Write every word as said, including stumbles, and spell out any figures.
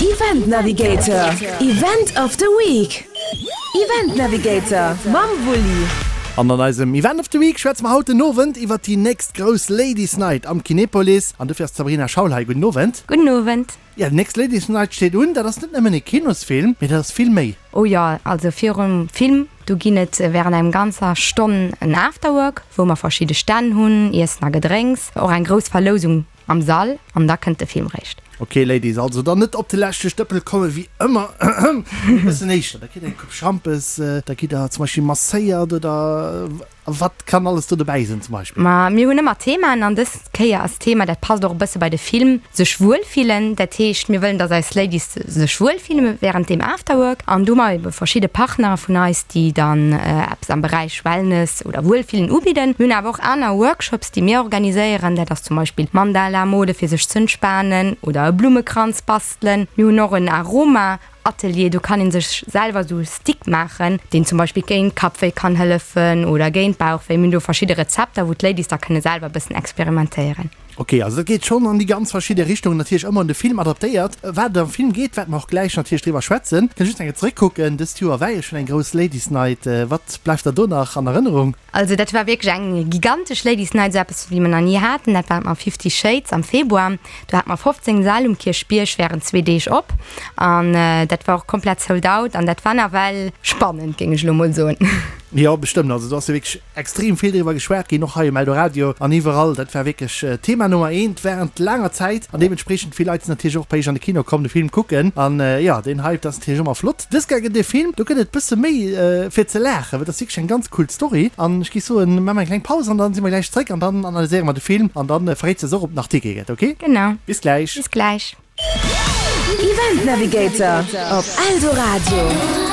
Event Navigator, Event of the Week. Event Navigator mam Wulli. An an eisem Event of the Week schwätze mer haut den Owend iwwer déi nächst grouss Ladies Night am Kinepolis. An dofir ass d'Sabrina Schaul hei. Gudden Owend. Gudden Owend. Jo, déi nächst Ladies Night steet un. Dat ass net nëmmen e Kinosfilm, mee dat ass vill méi. Oh jo, also virum Film, do ginn et wärend engem ganzer Stonn en Afterwork, wou mer verschidde Stänn hunn, Iessen a Gedrénks, och eng grouss Verlousung am Sall an da kënnt de Film réischt. Ok Ladies, also dann net op de leschte Stëppel kommen, wéi ëmmer, mee e bëssen éischter. Da kritt der eng Coupe Schampes, da gitt der zum Beispill masséiert oder wat kann alles do dobäi sinn zum Beispill? Ma mir hunn ëmmer Themaen an dës Kéier ass d'Thema, dat passt och e bësse bei de Film, sech wuel fillen. Dat heescht, mir wëllen, dass eis Ladies sech wuel fillen wärend deem Afterwork an do hu mer ebe verschidde Partnere vun eis, déi dann eppes am Beräich Wellness oder Wuelfillen ubidden. Mir hunn awer och aner Workshops, déi mir organiséieren. Dat ass zum Beispill Mandala mole fir sech z'entspanen oder e Blummekranz bastelen. Mir hunn och en Aroma Atelier, do kann een sech selwer esou Stick maachen, deen zum Beispill géint Kappwéi kann hëllefen oder géint Bauchwéi. Mir hunn do verschidde Rezepter, wou d'Ladies da kënne selwer e bëssen experimentéieren. Ok, also dat geet schonn an déi ganz verschidde Richtungen, natierlech ëmmer un de Film adaptéiert. Wat et am Film geet, wäerte mer och gläich natierlech driwwer schwätzen. Kënnt just eng Kéier zeréckkucken, dëst Joer war jo schonn eng grouss Ladies Night. Wat bleift der do nach an Erënnerung? Also dat war wierklech eng gigantesch Ladies Night, esou eppes wéi mer nach ni haten. Dat war mam Fifty Shades am Februar. Do hate mer fofzéng Säll um Kierchbierg wärend zwee Deeg op an dat war och komplett sold out an dat war nawell spannend, géing ech elo mol soen. Jo, bestëmmt. Also do ass jo wierklech extrem vill driwwer geschwat ginn, och hei um Eldoradio an iwwerall. Dat war wierklech Thema Nummer eent wärend laanger Zäit an deementspreechend vill Leit sinn natierlech och bei iech an de Kino komm de Film kucken. An jo, deen Hype, dat ass natierlech ëmmer flott. Dës Kéier gëtt e Film, do gëtt et bësse méi fir ze laachen, well dat ass wierklech eng ganz cool Story. An ech géif soen, maache mer eng kleng Paus an dann si mer gläich zréck an dann analyséiere mer de Film an dann verréits de eis och, ob et nach Tickete gëtt, ok? Genau. Bis gläich. Bis gläich. Event Navigator op Eldoradio.